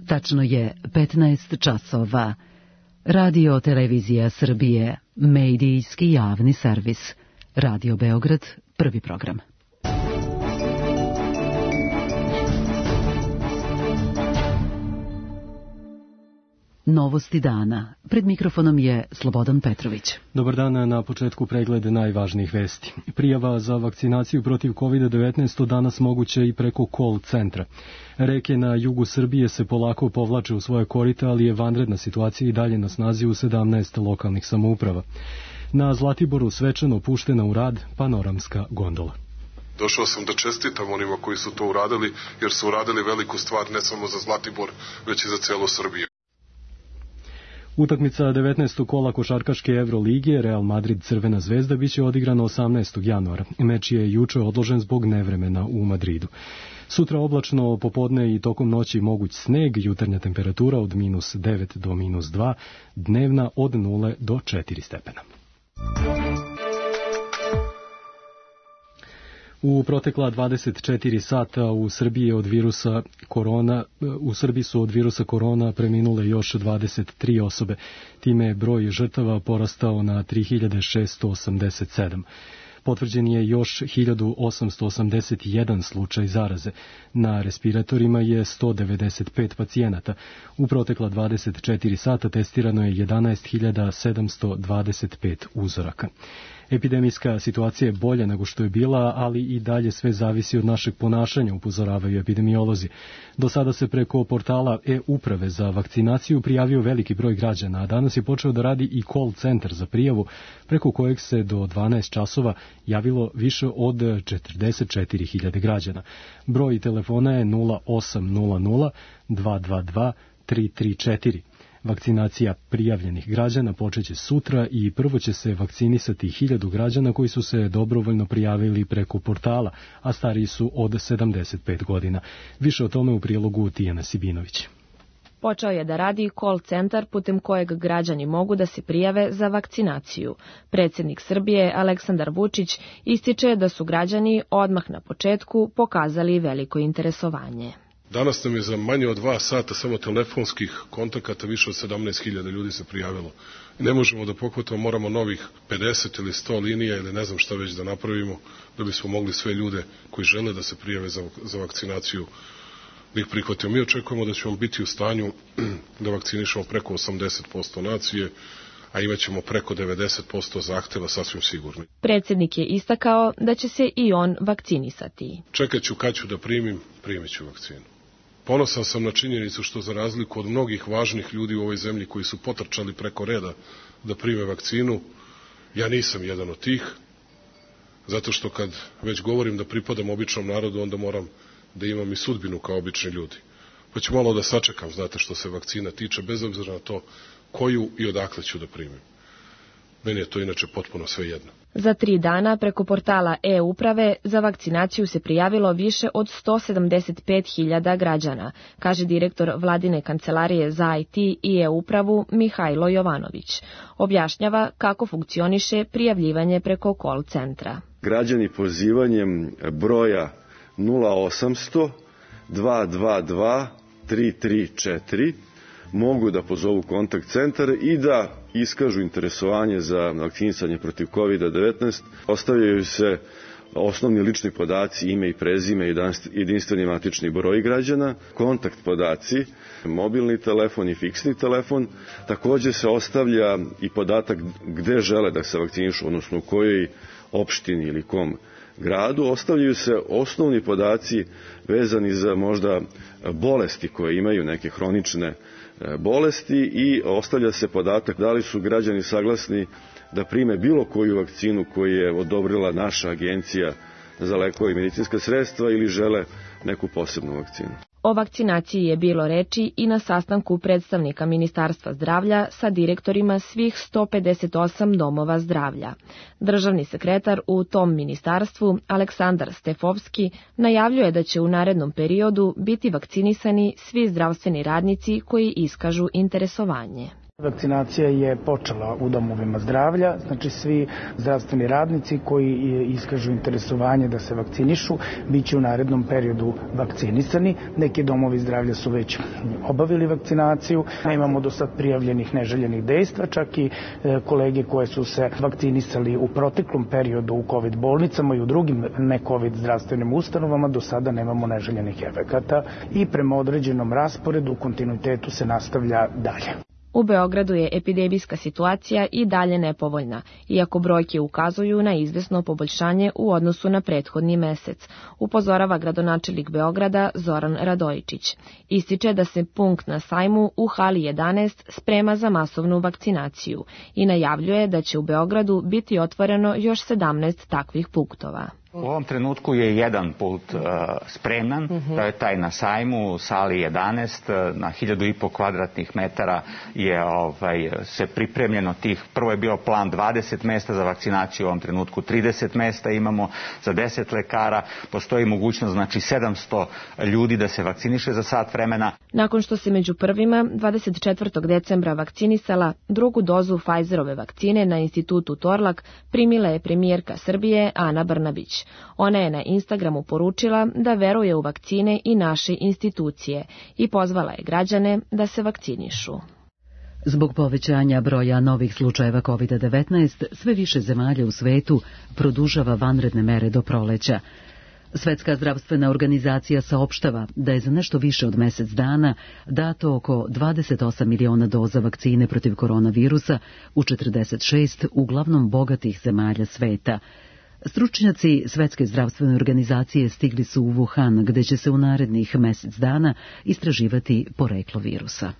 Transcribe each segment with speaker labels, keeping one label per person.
Speaker 1: Tačno je 15 časova. Radio Televizija Srbije, medijski javni servis. Radio Beograd, prvi program. Novosti dana. Pred mikrofonom je Slobodan Petrović.
Speaker 2: Dobar dan, na početku pregled najvažnijih vesti. Prijava za vakcinaciju protiv COVID-19 danas moguće i preko call centra. Reke na jugu Srbije se polako povlače u svoje korita, ali je vanredna situacija i dalje na snazi u 17 lokalnih samouprava. Na Zlatiboru svečano puštena u rad panoramska gondola.
Speaker 3: Došao sam da čestitam onima koji su to uradili, jer su uradili veliku stvar ne samo za Zlatibor, već i za celu Srbiju.
Speaker 2: Utakmica 19. kola košarkaške Evrolige Real Madrid Crvena zvezda biće odigrana 18. januara. Meč je juče odložen zbog nevremena u Madridu. Sutra oblačno popodne i tokom noći moguć sneg, jutarnja temperatura od -9 do -2, dnevna od 0 do 4 stepena. U protekla 24 sata u Srbiji su od virusa korona preminule još 23 osobe. Time je broj žrtava porastao na 3687. Potvrđen je još 1881 slučaj zaraze. Na respiratorima je 195 pacijenata. U protekla 24 sata testirano je 11.725 uzoraka. Epidemijska situacija je bolja nego što je bila, ali i dalje sve zavisi od našeg ponašanja, upozoravaju epidemiolozi. Do sada se preko portala e-uprave za vakcinaciju prijavio veliki broj građana, a danas je počeo da radi i call centar za prijavu, preko kojeg se do 12 časova javilo više od 44.000 građana. Broj telefona je 0800 222 334. Vakcinacija prijavljenih građana počeće sutra i prvo će se vakcinisati 1000 građana koji su se dobrovoljno prijavili preko portala, a stariji su od 75 godina. Više o tome u prilogu Tijana Sibinović.
Speaker 4: Počeo je da radi call centar putem kojeg građani mogu da se prijave za vakcinaciju. Predsjednik Srbije Aleksandar Vučić ističe da su građani odmah na početku pokazali veliko interesovanje.
Speaker 3: Danas nam je za manje od 2 sata samo telefonskih kontakata više od 17.000 ljudi se prijavilo. Ne možemo da pohvatamo, moramo novih 50 ili 100 linija ili ne znam šta već da napravimo da bismo mogli sve ljude koji žele da se prijave za vakcinaciju da ih prihvatimo. Mi očekujemo da ćemo biti u stanju da vakcinišemo preko 80% nacije, a imaćemo preko 90% zahteva sasvim sigurno.
Speaker 4: Predsjednik je istakao da će se i on vakcinisati.
Speaker 3: Čekat ću kad ću da primit ću vakcinu. Ponosan sam na činjenicu što za razliku od mnogih važnih ljudi u ovoj zemlji koji su potrčali preko reda da prime vakcinu, ja nisam jedan od tih, zato što kad već govorim da pripadam običnom narodu, onda moram da imam i sudbinu kao obični ljudi. Pa ću malo da sačekam, znate, što se vakcina tiče, bez obzira na to koju i odakle ću da primim. Meni je to inače potpuno sve jedno.
Speaker 4: Za 3 dana preko portala e-uprave za vakcinaciju se prijavilo više od 175.000 građana, kaže direktor Vladine kancelarije za IT i e-upravu Mihajlo Jovanović. Objašnjava kako funkcioniše prijavljivanje preko call centra.
Speaker 5: Građani pozivanjem broja 0800 222 334 mogu da pozovu kontakt centar i da iskažu interesovanje za vakcinisanje protiv COVID-19. Ostavljaju se osnovni lični podaci, ime i prezime, jedinstveni matični broj građana, kontakt podaci, mobilni telefon i fiksni telefon. Također se ostavlja i podatak gde žele da se vakcinišu, odnosno u kojoj opštini ili kom gradu. Ostavljaju se osnovni podaci vezani za možda bolesti koje imaju, neke hronične bolesti, i ostavlja se podatak da li su građani saglasni da prime bilo koju vakcinu koju je odobrila naša agencija za lekove i medicinska sredstva ili žele neku posebnu vakcinu.
Speaker 4: O vakcinaciji je bilo reči i na sastanku predstavnika Ministarstva zdravlja sa direktorima svih 158 domova zdravlja. Državni sekretar u tom ministarstvu, Aleksandar Stefovski, najavljuje da će u narednom periodu biti vakcinisani svi zdravstveni radnici koji iskažu interesovanje.
Speaker 6: Vakcinacija je počela u domovima zdravlja, znači svi zdravstveni radnici koji iskažu interesovanje da se vakcinišu, bit će u narednom periodu vakcinisani. Neki domovi zdravlja su već obavili vakcinaciju, nemamo do sad prijavljenih neželjenih dejstva, čak i kolege koje su se vakcinisali u proteklom periodu u COVID bolnicama i u drugim ne-COVID zdravstvenim ustanovama, do sada nemamo neželjenih efekata i prema određenom rasporedu u kontinuitetu se nastavlja dalje.
Speaker 4: U Beogradu je epidemijska situacija i dalje nepovoljna, iako brojke ukazuju na izvesno poboljšanje u odnosu na prethodni mesec, upozorava gradonačelnik Beograda Zoran Radojičić. Ističe da se punkt na sajmu u hali 11 sprema za masovnu vakcinaciju i najavljuje da će u Beogradu biti otvoreno još 17 takvih punktova.
Speaker 7: U ovom trenutku je jedan pult spreman, to je taj na sajmu u sali 11, na 1500 kvadratnih metara je se pripremljeno tih, prvo je bio plan 20 mesta za vakcinaciju, u ovom trenutku 30 mesta imamo za 10 lekara, postoji mogućnost znači 700 ljudi da se vakciniše za sat vremena.
Speaker 4: Nakon što se među prvima 24. decembra vakcinisala drugu dozu Pfizerove vakcine na institutu Torlak, primila je premijerka Srbije Ana Brnabić. Ona je na Instagramu poručila da veruje u vakcine i naše institucije i pozvala je građane da se vakcinišu.
Speaker 1: Zbog povećanja broja novih slučajeva COVID-19, sve više zemalja u svetu produžava vanredne mere do proleća. Svetska zdravstvena organizacija saopštava da je za nešto više od mesec dana dato oko 28 miliona doza vakcine protiv koronavirusa u 46 uglavnom bogatih zemalja sveta. Stručnjaci Svetske zdravstvene organizacije stigli su u Wuhan, gde će se u narednih mesec dana istraživati poreklo virusa.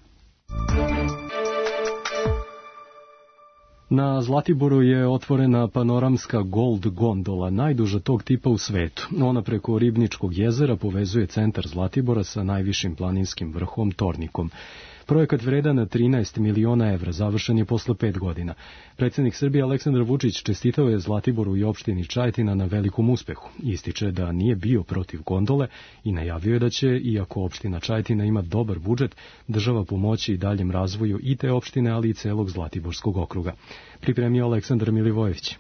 Speaker 2: Na Zlatiboru je otvorena panoramska Gold gondola, najduža tog tipa u svetu. Ona preko Ribničkog jezera povezuje centar Zlatibora sa najvišim planinskim vrhom Tornikom. Projekat vredan 13 miliona evra, završen je posle 5 godina. Predsjednik Srbije Aleksandar Vučić čestitao je Zlatiboru i opštini Čajetina na velikom uspehu. Ističe da nije bio protiv gondole i najavio je da će, iako opština Čajetina ima dobar budžet, država pomoći i daljem razvoju i te opštine, ali i celog Zlatiborskog okruga. Pripremio Aleksandar Milivojević.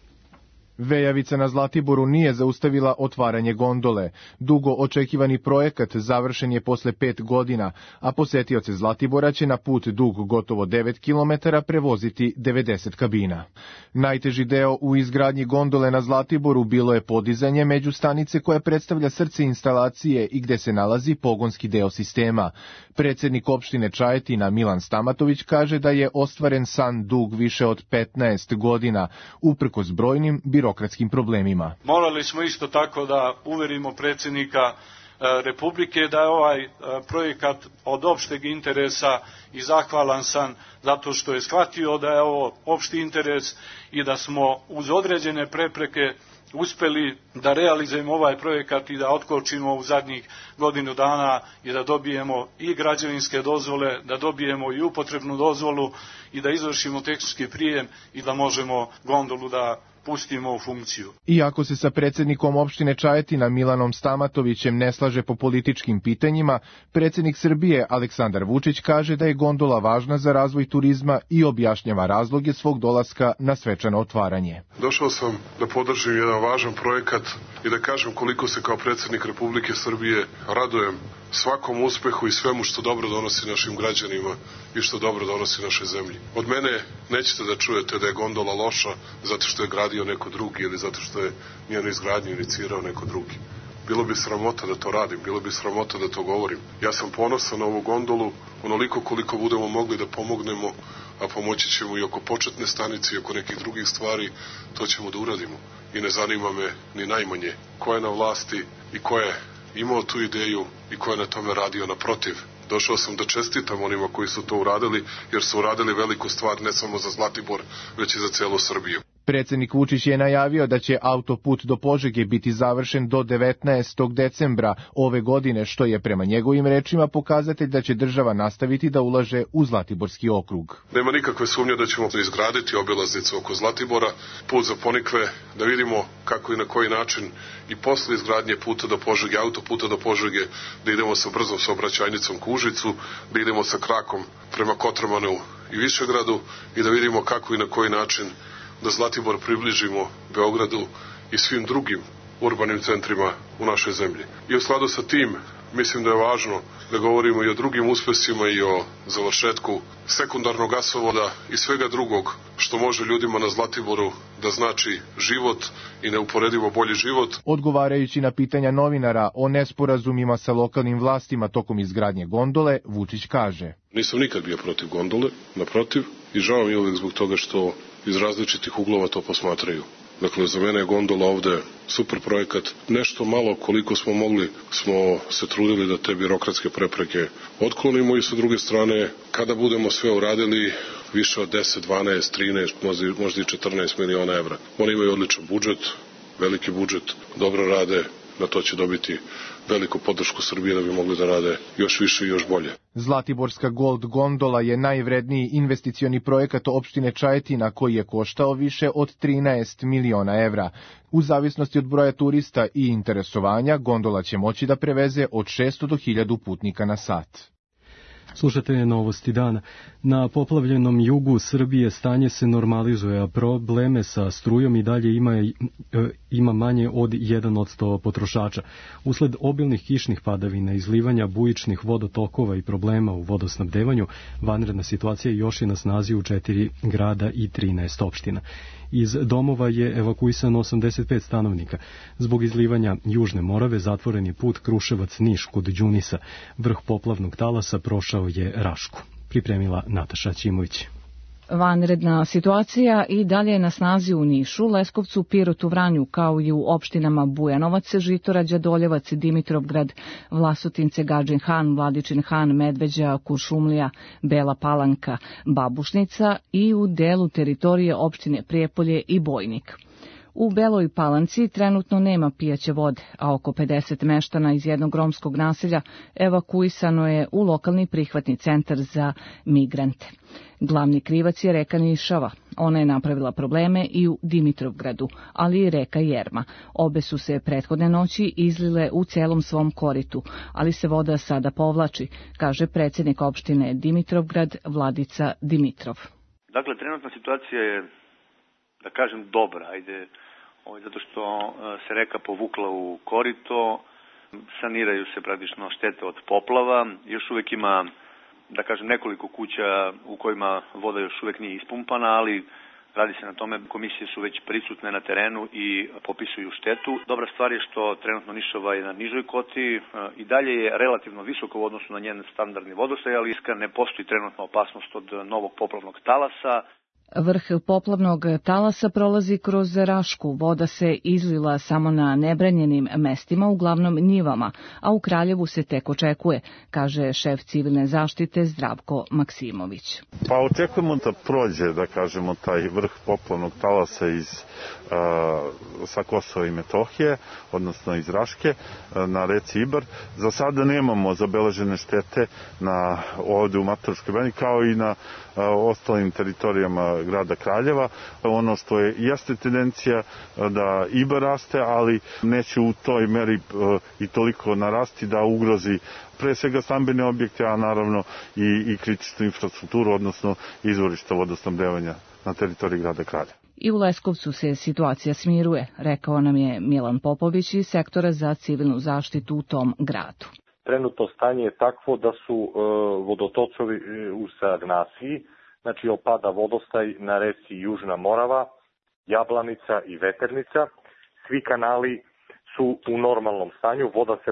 Speaker 8: Vejavica na Zlatiboru nije zaustavila otvaranje gondole. Dugo očekivani projekat završen je posle 5 godina, a posetioce Zlatibora će na put dug gotovo 9 km prevoziti 90 kabina. Najteži deo u izgradnji gondole na Zlatiboru bilo je podizanje međustanice koja predstavlja srce instalacije i gde se nalazi pogonski deo sistema. Predsjednik opštine Čajetina Milan Stamatović kaže da je ostvaren san dug više od 15 godina, uprkos brojnim birokratskim problemima.
Speaker 9: Morali smo isto tako da uverimo predsjednika Republike da je ovaj projekat od opšteg interesa i zahvalan sam zato što je shvatio da je ovo opšti interes i da smo uz određene prepreke uspeli da realizujemo ovaj projekat i da otkočimo u zadnjih godinu dana i da dobijemo i građevinske dozvole, da dobijemo i upotrebnu dozvolu i da izvršimo tehnički prijem i da možemo gondolu da pustimo u funkciju.
Speaker 8: Iako se sa predsjednikom opštine Čajetina Milanom Stamatovićem ne slaže po političkim pitanjima, predsjednik Srbije Aleksandar Vučić kaže da je gondola važna za razvoj turizma i objašnjava razloge svog dolaska na svečano otvaranje.
Speaker 3: Došao sam da podržim jedan važan projekat i da kažem koliko se kao predsjednik Republike Srbije radujem svakom uspehu i svemu što dobro donosi našim građanima i što dobro donosi našoj zemlji. Od mene nećete da čujete da je gondola loša zato što je gradio neko drugi ili zato što je njenu izgradnju inicirao neko drugi. Bilo bi sramota da to radim, bilo bi sramota da to govorim. Ja sam ponosan na ovu gondolu, onoliko koliko budemo mogli da pomognemo, a pomoći ćemo i oko početne stanice i oko nekih drugih stvari, to ćemo da uradimo. I ne zanima me ni najmanje ko je na vlasti i ko je imao tu ideju i ko je na tome radio. Naprotiv, došao sam da čestitam onima koji su to uradili, jer su uradili veliku stvar ne samo za Zlatibor, već i za celu Srbiju.
Speaker 8: Predsjednik Vučić je najavio da će autoput do Požege biti završen do 19. decembra ove godine, što je prema njegovim rečima pokazatelj da će država nastaviti da ulaže u Zlatiborski okrug.
Speaker 3: Nema nikakve sumnje da ćemo izgraditi obilaznicu oko Zlatibora, put za Ponikve, da vidimo kako i na koji način i posle izgradnje puta do Požege, autoputa do Požege, da idemo sa brzom saobraćajnicom ka Užicu, da idemo sa krakom prema Kotromanu i Višegradu i da vidimo kako i na koji način da Zlatibor približimo Beogradu i svim drugim urbanim centrima u našoj zemlji. I u skladu sa tim, mislim da je važno da govorimo i o drugim uspesima i o završetku sekundarnog gasovoda i svega drugog što može ljudima na Zlatiboru da znači život i neuporedivo bolji život.
Speaker 8: Odgovarajući na pitanja novinara o nesporazumima sa lokalnim vlastima tokom izgradnje gondole, Vučić kaže:
Speaker 3: Nisam nikad bio protiv gondole, naprotiv, i žao mi je uvek zbog toga što iz različitih uglova to posmatraju. Dakle, za mene je gondola ovde super projekat. Nešto malo koliko smo mogli smo se trudili da te birokratske prepreke otklonimo i sa druge strane, kada budemo sve uradili, više od 10, 12, 13, možda i 14 miliona evra. Oni imaju odličan budžet, veliki budžet, dobro rade, na to će dobiti veliku podršku Srbije da bi mogli da rade još više i još bolje.
Speaker 8: Zlatiborska Gold gondola je najvredniji investicioni projekat opštine Čajetina koji je koštao više od 13 miliona evra. U zavisnosti od broja turista i interesovanja, gondola će moći da preveze od 600 do 1000 putnika na sat.
Speaker 2: Slušate novosti dana. Na poplavljenom jugu Srbije stanje se normalizuje, a probleme sa strujom i dalje ima manje od 1% potrošača. Usled obilnih kišnih padavina, izlivanja bujičnih vodotokova i problema u vodosnabdevanju, vanredna situacija još je na snazi u 4 grada i 13 opština. Iz domova je evakuisano 85 stanovnika. Zbog izlivanja Južne Morave zatvoren je put Kruševac-Niš kod Đunisa. Vrh poplavnog talasa prošao je Rašku. Pripremila Nataša Ćimović.
Speaker 10: Vanredna situacija i dalje je na snazi u Nišu, Leskovcu, Pirotu, Vranju, kao i u opštinama Bujanovac, Žitorađa, Doljevac, Dimitrovgrad, Vlasotince, Gadžin Han, Vladičin Han, Medveđa, Kuršumlija, Bela Palanka, Babušnica i u delu teritorije opštine Prijepolje i Bojnik. U Beloj Palanci trenutno nema pijaće vode, a oko 50 meštana iz jednog romskog naselja evakuisano je u lokalni prihvatni centar za migrante. Glavni krivac je reka Nišava. Ona je napravila probleme i u Dimitrovgradu, ali i reka Jerma. Obe su se prethodne noći izlile u celom svom koritu, ali se voda sada povlači, kaže predsjednik opštine Dimitrovgrad Vladica Dimitrov.
Speaker 11: Dakle, trenutna situacija je, da kažem, dobra, zato što se reka povukla u korito, saniraju se praktično štete od poplava, još uvek ima, da kažem, nekoliko kuća u kojima voda još uvek nije ispumpana, ali radi se na tome, komisije su već prisutne na terenu i popisuju štetu. Dobra stvar je što trenutno Nišava je na nižoj koti i dalje je relativno visoko u odnosu na njen standardni vodostaj, ali ne postoji trenutno opasnost od novog poplavnog talasa.
Speaker 10: Vrh poplavnog talasa prolazi kroz Rašku, voda se izlila samo na nebranjenim mestima, uglavnom njivama, a u Kraljevu se tek očekuje, kaže šef civilne zaštite Zdravko Maksimović.
Speaker 12: Pa očekujemo da prođe, da kažemo, taj vrh poplavnog talasa sa Kosova i Metohije, odnosno iz Raške, na reci Ibar. Za sada nemamo zabeležene štete ovde u Mataruškoj banji, kao i na ostalim teritorijama grada Kraljeva. Ono što jeste tendencija da Ibar raste, ali neće u toj meri i toliko narasti da ugrozi pre svega stambene objekte, a naravno i kritičnu infrastrukturu, odnosno izvorišta vodosnabdevanja na teritoriji grada Kraljeva.
Speaker 10: I u Leskovcu se situacija smiruje, rekao nam je Milan Popović iz sektora za civilnu zaštitu u tom gradu.
Speaker 13: Trenutno stanje je takvo da su vodotokovi u stagnaciji, znači opada vodostaj na reci Južna Morava, Jablanica i Veternica. Svi kanali su u normalnom stanju, voda se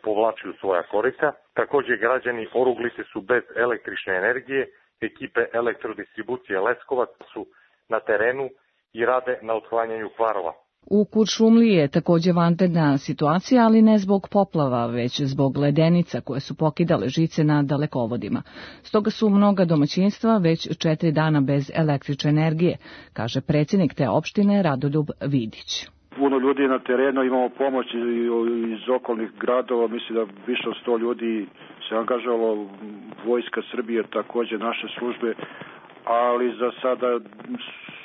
Speaker 13: povlači u svoja korita. Također građani Oruglice su bez električne energije, ekipe elektrodistribucije Leskovac su na terenu i rade na otklanjanju kvarova.
Speaker 10: U Kuršumliji je također vanredna situacija, ali ne zbog poplava, već zbog ledenica koje su pokidale žice na dalekovodima. Stoga su mnoga domaćinstva već 4 dana bez električne energije, kaže predsjednik te opštine Radoljub Vidić.
Speaker 14: Puno ljudi na terenu, imamo pomoć iz okolnih gradova, mislim da više od 100 ljudi se angažovalo, Vojska Srbije, također naše službe, ali za sada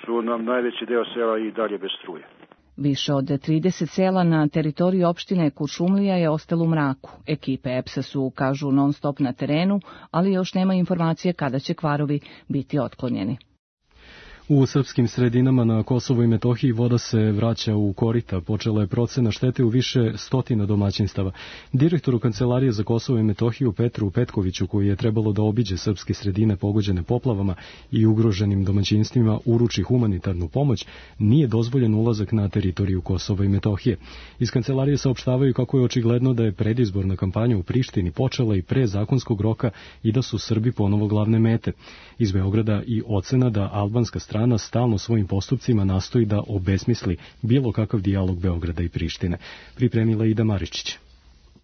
Speaker 14: su nam najveći deo sela i dalje bez struje.
Speaker 10: Više od 30 sela na teritoriji opštine Kuršumlija je ostalo u mraku. Ekipe EPS-a su, kažu, non stop na terenu, ali još nema informacije kada će kvarovi biti otklonjeni.
Speaker 2: U srpskim sredinama na Kosovu i Metohiji voda se vraća u korita. Počela je procena štete u više stotina domaćinstava. Direktoru Kancelarije za Kosovo i Metohiju Petru Petkoviću, koji je trebalo da obiđe srpske sredine pogođene poplavama i ugroženim domaćinstvima uruči humanitarnu pomoć, nije dozvoljen ulazak na teritoriju Kosova i Metohije. Iz Kancelarije saopštavaju kako je očigledno da je predizborna kampanja u Prištini počela i pre zakonskog roka i da su Srbi ponovo glavne mete. Iz Beograda i ocena da albanska strana stalno svojim postupcima nastoji da obesmisli bilo kakav dijalog Beograda i Prištine. Pripremila Ida Maričić.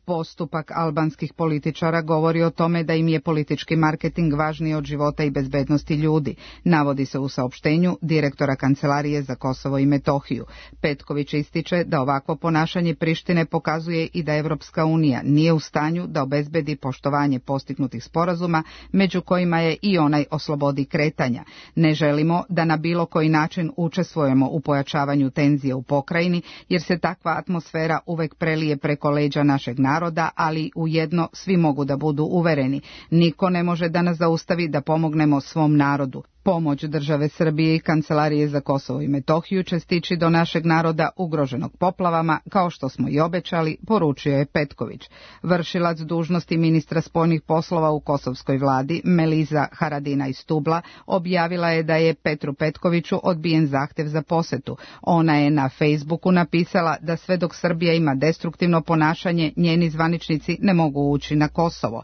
Speaker 15: Postupak albanskih političara govori o tome da im je politički marketing važniji od života i bezbednosti ljudi, navodi se u saopštenju direktora Kancelarije za Kosovo i Metohiju. Petković ističe da ovakvo ponašanje Prištine pokazuje i da Evropska unija nije u stanju da obezbedi poštovanje postignutih sporazuma, među kojima je i onaj o slobodi kretanja. Ne želimo da na bilo koji način učestvujemo u pojačavanju tenzije u pokrajini, jer se takva atmosfera uvek prelije preko leđa našeg naroda, ali ujedno svi mogu da budu uvereni. Niko ne može da nas zaustavi da pomognemo svom narodu. Pomoć države Srbije i Kancelarije za Kosovo i Metohiju će stići do našeg naroda ugroženog poplavama, kao što smo i obećali, poručio je Petković. Vršilac dužnosti ministra spoljnih poslova u kosovskoj vladi, Meliza Haradina iz Stubla, objavila je da je Petru Petkoviću odbijen zahtev za posetu. Ona je na Facebooku napisala da sve dok Srbija ima destruktivno ponašanje, njeni zvaničnici ne mogu ući na Kosovo.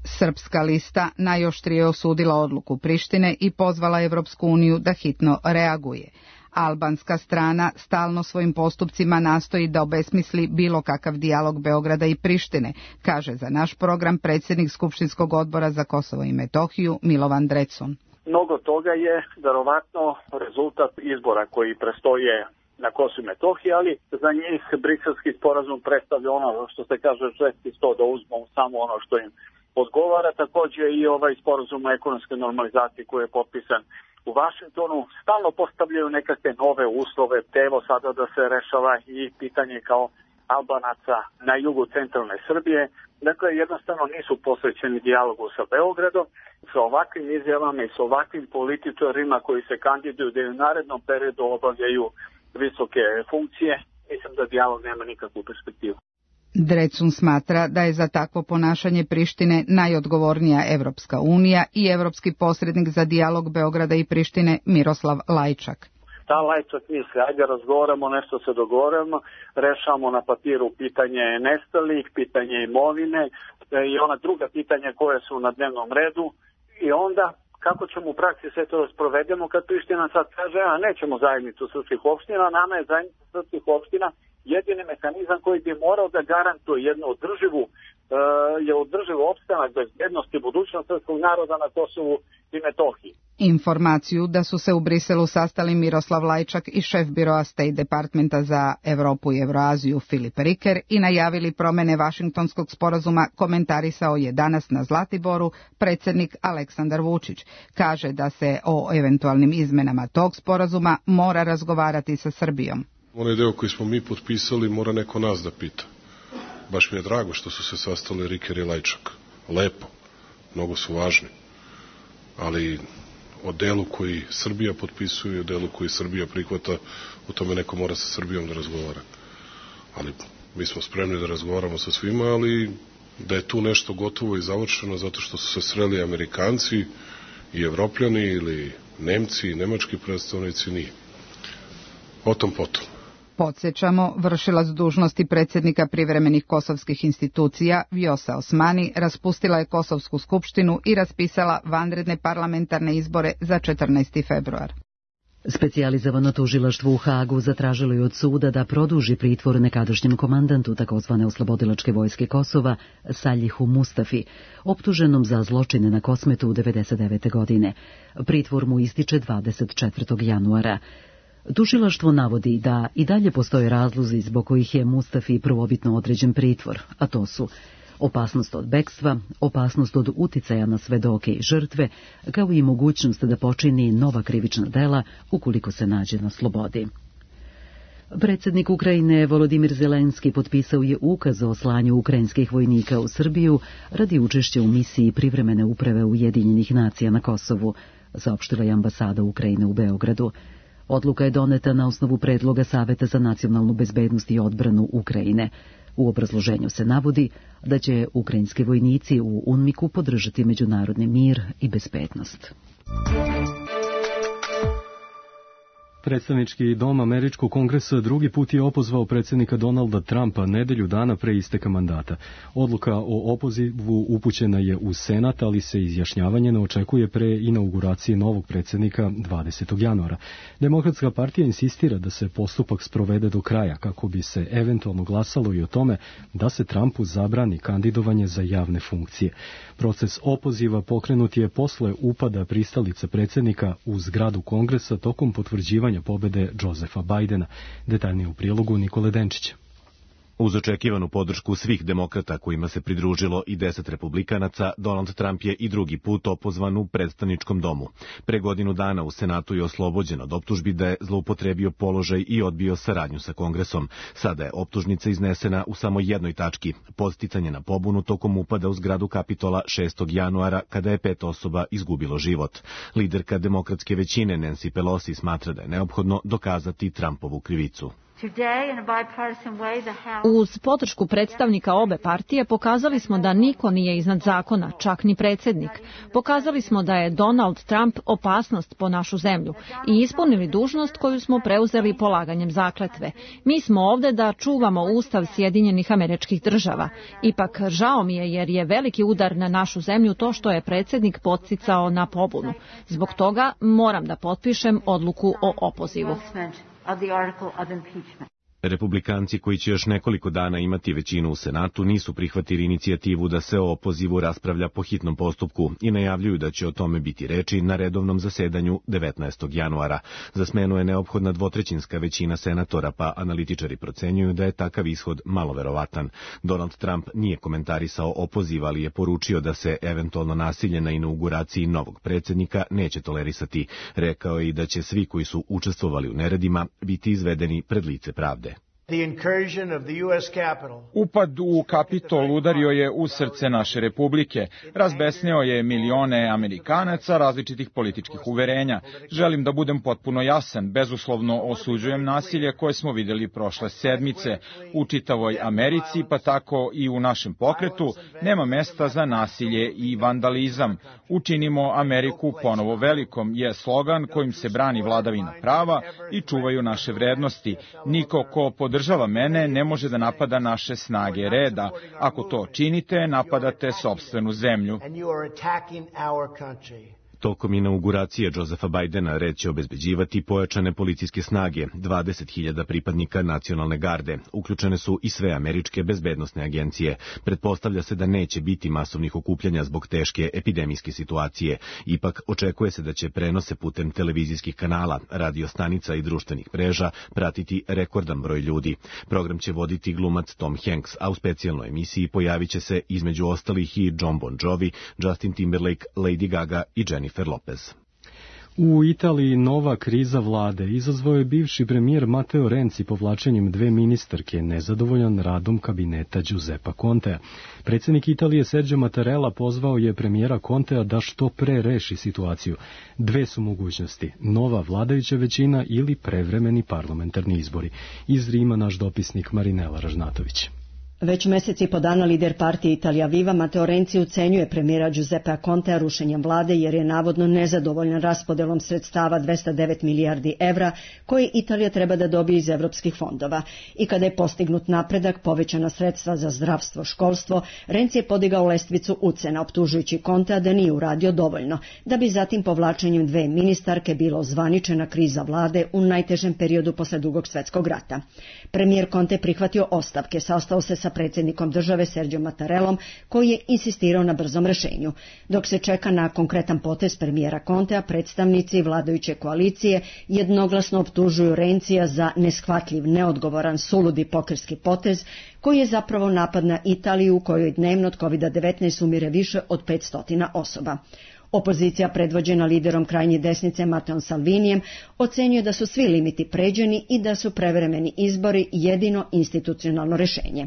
Speaker 15: Srpska lista najoštrije osudila odluku Prištine i pozvala Evropsku uniju da hitno reaguje. Albanska strana stalno svojim postupcima nastoji da obesmisli bilo kakav dijalog Beograda i Prištine, kaže za naš program predsjednik Skupštinskog odbora za Kosovo i Metohiju Milovan Drecun.
Speaker 16: Mnogo toga je verovatno rezultat izbora koji prestoje na Kosovu i Metohiji, ali za njih Briselski sporazum predstavlja ono što se kaže žesti sto da uzmu samo ono što im odgovara. Također i ovaj sporazum o ekonomskoj normalizaciji koji je potpisan u Vašingtonu stalno postavljaju nekakve nove uslove, te evo sada da se rešava i pitanje kao Albanaca na jugu centralne Srbije. Dakle, jednostavno nisu posvećeni dijalogu sa Beogradom. Sa ovakvim izjavama i sa ovakvim političarima koji se kandiduju da u narednom periodu obavljaju visoke funkcije, mislim da dijalog nema nikakvu perspektivu.
Speaker 15: Drecun smatra da je za takvo ponašanje Prištine najodgovornija Evropska unija i evropski posrednik za dijalog Beograda i Prištine Miroslav Lajčak.
Speaker 16: Ta Lajčak misli, ajde razgovaramo, nešto se dogovorimo, rešamo na papiru pitanje nestalih, pitanje imovine i ona druga pitanja koje su na dnevnom redu i onda kako ćemo u praksi sve to sprovedemo kad Priština sad kaže, a nećemo zajednicu srpskih opština, nama je zajednica srpskih opština jedini mehanizam koji bi morao da garantuje jednu održivu opstanak, bezbednost i budućnost srpskog naroda na Kosovu i Metohiji.
Speaker 15: Informaciju da su se u Briselu sastali Miroslav Lajčak i šef biroa State Departmenta za Evropu i Evroaziju Filip Riker i najavili promene Vašingtonskog sporazuma komentarisao je danas na Zlatiboru predsjednik Aleksandar Vučić. Kaže da se o eventualnim izmenama tog sporazuma mora razgovarati sa Srbijom.
Speaker 3: Onaj deo koji smo mi potpisali mora neko nas da pita. Baš mi je drago što su se sastali Riker i Lajčak. Lepo, mnogo su važni. Ali o delu koji Srbija potpisuje i o delu koji Srbija prihvata, o tome neko mora sa Srbijom da razgovara. Ali mi smo spremni da razgovaramo sa svima, ali da je tu nešto gotovo i završeno zato što su se sreli Amerikanci i Evropljani ili Nemci i nemački predstavnici, nije. O tom potom.
Speaker 15: Podsjećamo, vršilac dužnosti predsjednika privremenih kosovskih institucija Vjosa Osmani raspustila je Kosovsku skupštinu i raspisala vanredne parlamentarne izbore za 14. februar.
Speaker 1: Specijalizovano tužilaštvo u Hagu zatražilo je od suda da produži pritvor nekadašnjem komandantu takozvane oslobodilačke vojske Kosova Saljihu Mustafi, optuženom za zločine na Kosmetu 1999. godine. Pritvor mu ističe 24. januara. Tužilaštvo navodi da i dalje postoje razlozi zbog kojih je Mustafi prvobitno određen pritvor, a to su opasnost od bekstva, opasnost od uticaja na svedoke i žrtve, kao i mogućnost da počini nova krivična dela ukoliko se nađe na slobodi. Predsjednik Ukrajine Volodimir Zelenski potpisao je ukaz o slanju ukrajinskih vojnika u Srbiju radi učešća u misiji privremene uprave Ujedinjenih nacija na Kosovu, saopštila je ambasada Ukrajine u Beogradu. Odluka je doneta na osnovu predloga Saveta za nacionalnu bezbednost i odbranu Ukrajine. U obrazloženju se navodi da će ukrajinski vojnici u UNMIK-u podržati međunarodni mir i bezbednost.
Speaker 2: Predstavnički dom Američkog kongresa drugi put je opozvao predsjednika Donalda Trumpa nedelju dana pre isteka mandata. Odluka o opozivu upućena je u Senat, ali se izjašnjavanje ne očekuje pre inauguracije novog predsjednika 20. januara. Demokratska partija insistira da se postupak sprovede do kraja, kako bi se eventualno glasalo i o tome da se Trumpu zabrani kandidovanje za javne funkcije. Proces opoziva pokrenut je posle upada pristalica predsjednika u zgradu kongresa tokom potvrđivanja pobede Josefa Bajdena. Detaljnije u prilogu Nikole Denčića.
Speaker 17: Uz očekivanu podršku svih demokrata kojima se pridružilo i 10 republikanaca, Donald Trump je i drugi put opozvan u predstavničkom domu. Pre godinu dana u Senatu je oslobođen od optužbi da je zloupotrebio položaj i odbio saradnju sa Kongresom. Sada je optužnica iznesena u samo jednoj tački, podsticanje na pobunu tokom upada u zgradu Kapitola 6. januara kada je 5 osoba izgubilo život. Liderka demokratske većine Nancy Pelosi smatra da je neophodno dokazati Trumpovu krivicu.
Speaker 18: Uz podršku predstavnika obe partije pokazali smo da niko nije iznad zakona, čak ni predsjednik. Pokazali smo da je Donald Trump opasnost po našu zemlju i ispunili dužnost koju smo preuzeli polaganjem zakletve. Mi smo ovde da čuvamo Ustav Sjedinjenih Američkih Država. Ipak žao mi je jer je veliki udar na našu zemlju to što je predsjednik podsticao na pobunu. Zbog toga moram da potpišem odluku o opozivu.
Speaker 17: Republikanci koji će još nekoliko dana imati većinu u Senatu nisu prihvatili inicijativu da se o opozivu raspravlja po hitnom postupku i najavljuju da će o tome biti reči na redovnom zasedanju 19. januara. Za smenu je neophodna dvotrećinska većina senatora, pa analitičari procenjuju da je takav ishod malo verovatan. Donald Trump nije komentarisao opoziv, ali je poručio da se eventualno nasilje na inauguraciji novog predsjednika neće tolerisati. Rekao je i da će svi koji su učestvovali u neredima biti izvedeni pred lice pravde.
Speaker 19: Upad u Kapitol udario je u srce naše republike. Razbesneo je milione Amerikanaca različitih političkih uverenja. Želim da budem potpuno jasan. Bezuslovno osuđujem nasilje koje smo vidjeli prošle sedmice. U čitavoj Americi, pa tako i u našem pokretu, nema mesta za nasilje i vandalizam. Učinimo Ameriku ponovo velikom je slogan kojim se brani vladavina prava i čuvaju naše vrednosti. Niko ko podržava mene ne može da napada naše snage reda. Ako to činite, napadate sopstvenu zemlju.
Speaker 17: Tokom inauguracije Josefa Bajdena red će obezbeđivati pojačane policijske snage, 20.000 pripadnika nacionalne garde. Uključene su i sve američke bezbednosne agencije. Pretpostavlja se da neće biti masovnih okupljanja zbog teške epidemijske situacije. Ipak očekuje se da će prenose putem televizijskih kanala, radio stanica i društvenih mreža pratiti rekordan broj ljudi. Program će voditi glumac Tom Hanks, a u specijalnoj emisiji pojavit će se između ostalih i Jon Bon Jovi, Justin Timberlake, Lady Gaga i Jennifer Lopez.
Speaker 2: U Italiji nova kriza vlade izazvao je bivši premijer Matteo Renzi povlačenjem 2 ministarke, nezadovoljan radom kabineta Giuseppa Contea. Predsjednik Italije Sergio Mattarella pozvao je premijera Contea da što pre reši situaciju. 2 su mogućnosti, nova vladajuća većina ili prevremeni parlamentarni izbori. Iz Rima naš dopisnik Marinela Ražnatović.
Speaker 20: Već mesec i po dana lider partije Italia Viva Matteo Renzi ucenjuje premijera Giuseppea Contea rušenjem vlade jer je navodno nezadovoljan raspodelom sredstava 209 milijardi evra koje Italija treba da dobije iz evropskih fondova. I kada je postignut napredak, povećana sredstva za zdravstvo, školstvo, Renzi je podigao lestvicu ucena, optužujući Contea da nije uradio dovoljno, da bi zatim povlačenjem dve ministarke bila ozvaničena kriza vlade u najtežem periodu posle Drugog svetskog rata. Premijer Conte prihvatio ostavke, sastao se sa predsjednikom države Sergio Mattarellom, koji je insistirao na brzom rešenju. Dok se čeka na konkretan potez premijera Contea, predstavnici vladajuće koalicije jednoglasno optužuju Renzija za neshvatljiv, neodgovoran, suludi pokretski potez, koji je zapravo napad na Italiju u kojoj dnevno od COVID-19 umire više od 500 osoba. Opozicija predvođena liderom krajnje desnice Matteom Salvinijem ocenjuje da su svi limiti pređeni i da su prevremeni izbori jedino institucionalno rešenje.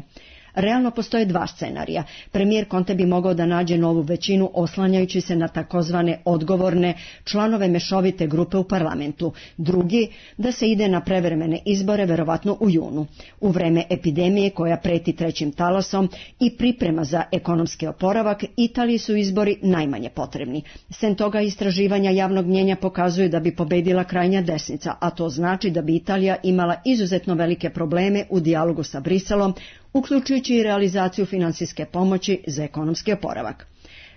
Speaker 20: Realno postoje dva scenarija. Premijer Conte bi mogao da nađe novu većinu oslanjajući se na takozvane odgovorne članove mešovite grupe u parlamentu. Drugi, da se ide na prevremene izbore, verovatno u junu. U vreme epidemije koja preti trećim talasom i priprema za ekonomski oporavak, Italiji su izbori najmanje potrebni. Sem toga, istraživanja javnog mnjenja pokazuju da bi pobedila krajnja desnica, a to znači da bi Italija imala izuzetno velike probleme u dijalogu sa Briselom, uključujući i realizaciju finansijske pomoći za ekonomski oporavak.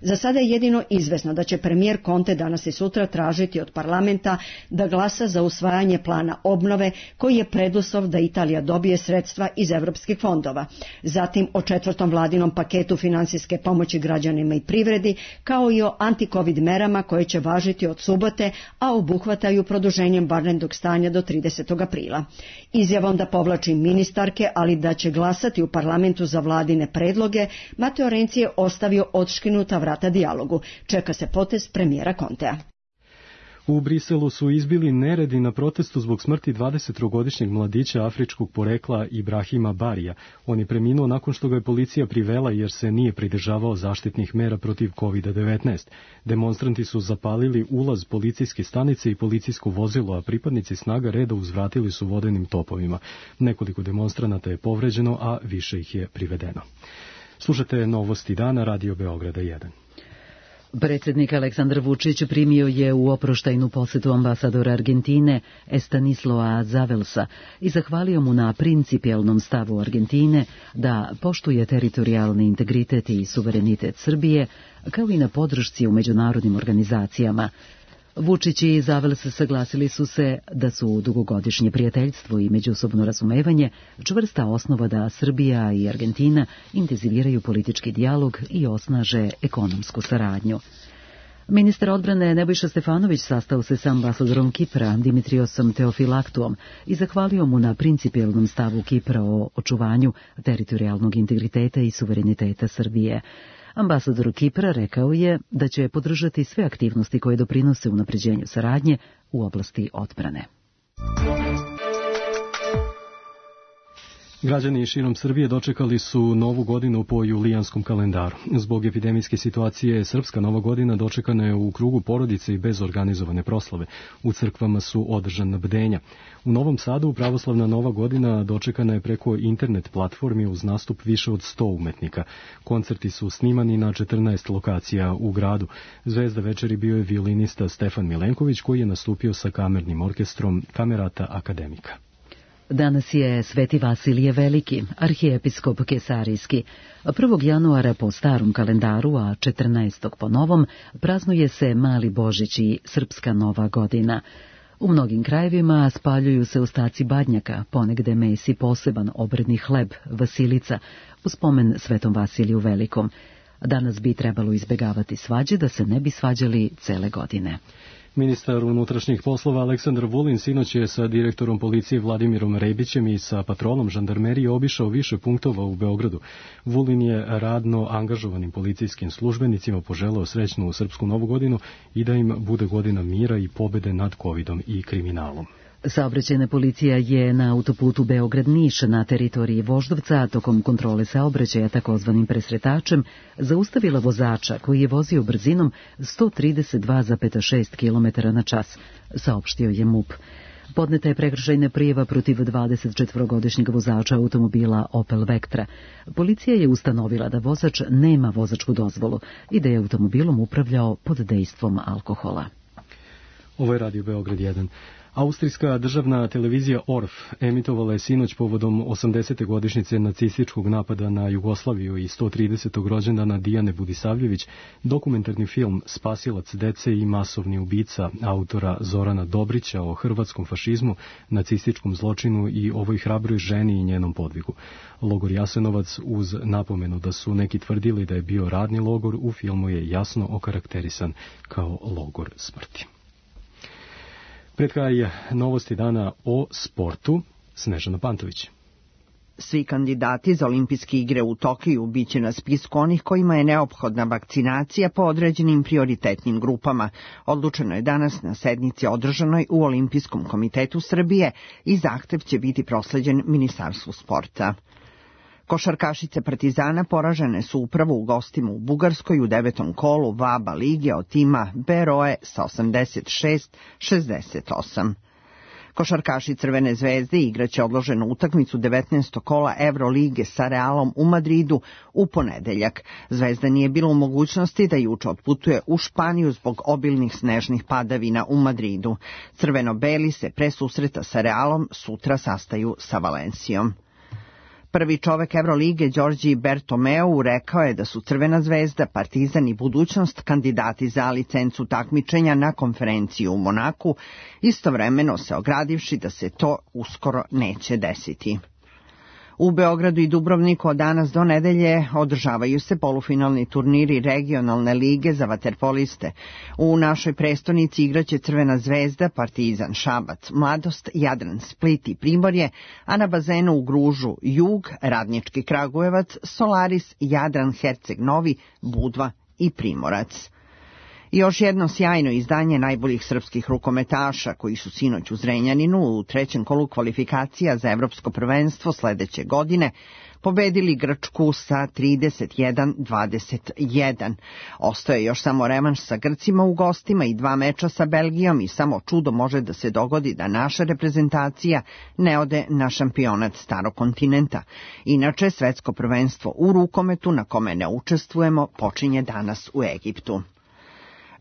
Speaker 20: Za sada je jedino izvesno da će premijer Conte danas i sutra tražiti od parlamenta da glasa za usvajanje plana obnove koji je preduslov da Italija dobije sredstva iz evropskih fondova. Zatim o 4. vladinom paketu finansijske pomoći građanima i privredi, kao i o anti-covid merama koje će važiti od subote, a obuhvataju produženjem vanrednog stanja do 30. aprila. Izjavom da povlači ministarke, ali da će glasati u parlamentu za vladine predloge, Matteo Renzi je ostavio odškinuta vrata dijalogu. Čeka se potez premijera Contea.
Speaker 2: U Briselu su izbili neredi na protestu zbog smrti 23-godišnjeg mladića afričkog porekla Ibrahima Barija. On je preminuo nakon što ga je policija privela jer se nije pridržavao zaštitnih mera protiv COVID-19. Demonstranti su zapalili ulaz policijske stanice i policijsko vozilo, a pripadnici snaga reda uzvratili su vodenim topovima. Nekoliko demonstranata je povređeno, a više ih je privedeno. Slušate Novosti dana, Radio Beograda 1.
Speaker 1: Predsjednik Aleksandar Vučić primio je u oproštajnu posjetu ambasadora Argentine Estanislao Zavelsa i zahvalio mu na principijelnom stavu Argentine da poštuje teritorijalni integritet i suverenitet Srbije, kao i na podršci u međunarodnim organizacijama. Vučić i Zavels saglasili su se da su dugogodišnje prijateljstvo i međusobno razumevanje čvrsta osnova da Srbija i Argentina intenziviraju politički dijalog i osnaže ekonomsku saradnju. Ministar odbrane Nebojša Stefanović sastao se sa ambasadorom Kipra Dimitriosom Teofilaktuom i zahvalio mu na principijelnom stavu Kipra o očuvanju teritorijalnog integriteta i suvereniteta Srbije. Ambasador Kipra rekao je da će podržati sve aktivnosti koje doprinose unapređenju saradnje u oblasti odbrane.
Speaker 2: Građani širom Srbije dočekali su Novu godinu po julijanskom kalendaru. Zbog epidemijske situacije Srpska Nova godina dočekana je u krugu porodice i bez organizovane proslave. U crkvama su održana bdenja. U Novom Sadu pravoslavna Nova godina dočekana je preko internet platformi uz nastup više od 100 umetnika. Koncerti su snimani na 14 lokacija u gradu. Zvezda večeri bio je violinista Stefan Milenković koji je nastupio sa kamernim orkestrom Kamerata Akademika.
Speaker 1: Danas je Sveti Vasilije Veliki, arhijepiskop Kesarijski. 1. januara po starom kalendaru, a 14. po novom, praznuje se Mali Božić i Srpska Nova godina. U mnogim krajevima spaljuju se ostaci badnjaka, ponegde mesi poseban obredni hleb, vasilica, u spomen Svetom Vasiliju Velikom. Danas bi trebalo izbegavati svađe da se ne bi svađali cele godine.
Speaker 2: Ministar unutrašnjih poslova Aleksandar Vulin sinoć je sa direktorom policije Vladimirom Rebićem i sa patrolom žandarmerije obišao više punktova u Beogradu. Vulin je radno angažovanim policijskim službenicima poželeo srećnu Srpsku Novu godinu i da im bude godina mira i pobede nad covidom i kriminalom.
Speaker 1: Saobraćajna policija je na autoputu Beograd-Niš na teritoriji Voždovca tokom kontrole saobraćaja takozvanim presretačem zaustavila vozača koji je vozio brzinom 132,6 km na čas, saopštio je MUP. Podneta je prekršajna prijava protiv 24-godišnjeg vozača automobila Opel Vectra. Policija je ustanovila da vozač nema vozačku dozvolu i da je automobilom upravljao pod dejstvom alkohola.
Speaker 2: Ovo je Radio Beograd 1. Austrijska državna televizija ORF emitovala je sinoć povodom 80. godišnjice nacističkog napada na Jugoslaviju i 130. rođendana Dijane Budisavljević dokumentarni film Spasilac dece i masovni ubica autora Zorana Dobrića o hrvatskom fašizmu, nacističkom zločinu i ovoj hrabroj ženi i njenom podvigu. Logor Jasenovac, uz napomenu da su neki tvrdili da je bio radni logor, u filmu je jasno okarakterisan kao logor smrti. Pred kraj novosti dana o sportu, Snežana Pantović.
Speaker 21: Svi kandidati za olimpijske igre u Tokiju biće na spisku onih kojima je neophodna vakcinacija po određenim prioritetnim grupama. Odlučeno je danas na sednici održanoj u Olimpijskom komitetu Srbije i zahtev će biti prosleđen Ministarstvu sporta. Košarkašice Partizana poražene su upravo u gostima u Bugarskoj u 9. kolu VABA lige od tima Beroe sa 86-68. Košarkaši Crvene zvezde igraće odloženu utakmicu 19. kola Evrolige sa Realom u Madridu u ponedeljak. Zvezda nije bila u mogućnosti da juče otputuje u Španiju zbog obilnih snežnih padavina u Madridu. Crveno-beli se pre susreta sa Realom sutra sastaju sa Valencijom. Prvi čovek Evrolige, Đorđi Bertomeu, rekao je da su Crvena zvezda, Partizan i Budućnost kandidati za licencu takmičenja na konferenciju u Monaku, istovremeno se ogradivši da se to uskoro neće desiti. U Beogradu i Dubrovniku od danas do nedelje održavaju se polufinalni turniri regionalne lige za vaterpoliste. U našoj prestonici igraće Crvena zvezda, Partizan, Šabac, Mladost, Jadran, Split i Primorje, a na bazenu u Gružu Jug, Radnički Kragujevac, Solaris, Jadran, Herceg Novi, Budva i Primorac. Još jedno sjajno izdanje najboljih srpskih rukometaša koji su sinoć u Zrenjaninu u trećem kolu kvalifikacija za evropsko prvenstvo sledeće godine pobedili Grčku sa 31-21. Ostaje još samo revanš sa Grcima u gostima i 2 meča sa Belgijom i samo čudo može da se dogodi da naša reprezentacija ne ode na šampionat starog kontinenta. Inače, svetsko prvenstvo u rukometu na kome ne učestvujemo počinje danas u Egiptu.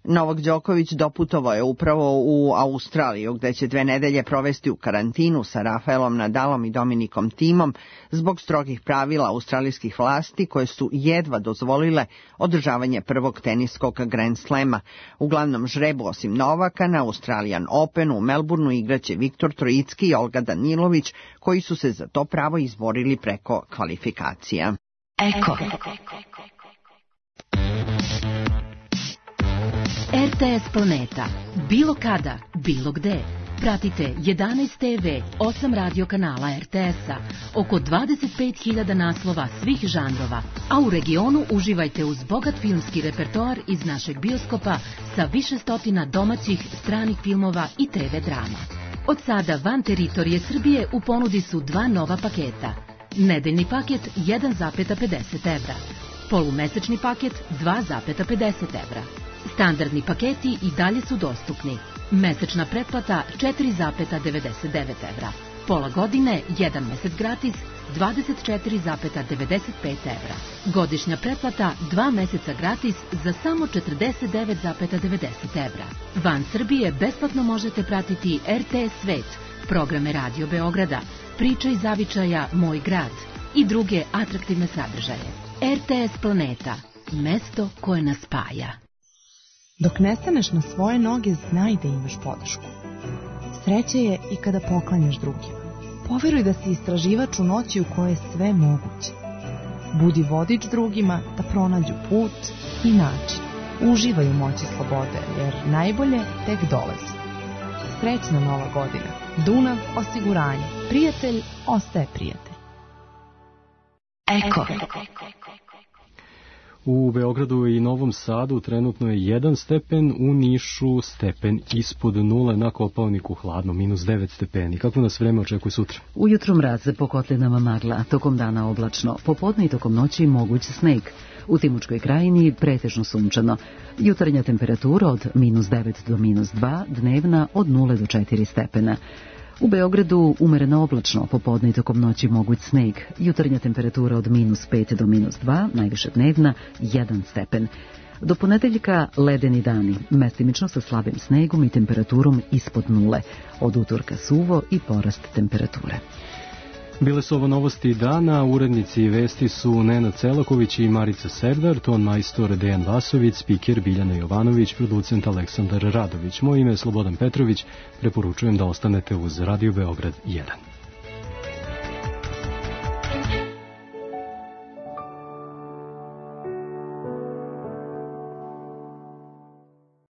Speaker 21: Novak Đoković doputovao je upravo u Australiju, gde će 2 nedelje provesti u karantinu sa Rafaelom Nadalom i Dominikom Thiemeom zbog strogih pravila australijskih vlasti koje su jedva dozvolile održavanje prvog teniskog Grand Slema. U glavnom žrebu osim Novaka na Australian Openu u Melbourneu igraće Viktor Trojicki i Olga Danilović, koji su se za to pravo izborili preko kvalifikacija.
Speaker 22: Eko. RTS Planeta. Bilo kada, bilo gde. Pratite 11 TV, 8 radio kanala RTS-a, oko 25.000 naslova svih žanrova, a u regionu uživajte uz bogat filmski repertoar iz našeg bioskopa sa više stotina domaćih, stranih filmova i TV drama. Od sada van teritorije Srbije u ponudi su 2 nova paketa. Nedeljni paket 1,50 evra. Polumesečni paket 2,50 evra. Standardni paketi i dalje su dostupni. Mesečna pretplata 4,99 evra. Pola godine, 1 mesec gratis, 24,95 evra. Godišnja pretplata 2 meseca gratis za samo 49,90 evra. Van Srbije besplatno možete pratiti RTS Svet, programe Radio Beograda, Priča iz zavičaja Moj grad i druge atraktivne sadržaje. RTS Planeta, mesto koje nas spaja.
Speaker 23: Dok ne staneš na svoje noge, znaj da imaš podršku. Sreće je i kada poklanjaš drugima. Poveruj da si istraživač u noći u kojoj je sve moguće. Budi vodič drugima da pronađu put i način. Uživaj u moći slobode, jer najbolje tek dolazi. Srećna Nova godina. Dunav osiguranje. Prijatelj ostaje prijatelj.
Speaker 22: Eko.
Speaker 2: U Beogradu i Novom Sadu trenutno je 1 stepen, u Nišu stepen ispod 0, na Kopaoniku hladno, -9 stepeni. Kako nas vreme očekuje sutra?
Speaker 1: Ujutro mraz, po kotlinama magla, tokom dana oblačno, popodne i tokom noći moguć sneg. U Timočkoj krajini pretežno sunčano. Jutarnja temperatura od -9 do -2, dnevna od 0 do 4 stepena. U Beogradu umereno oblačno, popodne i tokom noći moguć sneg. Jutarnja temperatura od -5 do -2, najviše dnevna 1 stepen. Do ponedeljka ledeni dani, mestimično sa slabim snegom i temperaturom ispod 0. Od utorka suvo i porast temperature.
Speaker 2: Bile su ovo novosti dana, urednici vesti su Nenad Celaković i Marica Serdar, ton majstor Dejan Vasović, spiker Biljana Jovanović, producent Aleksandar Radović. Moje ime je Slobodan Petrović, preporučujem da ostanete uz Radio Beograd 1.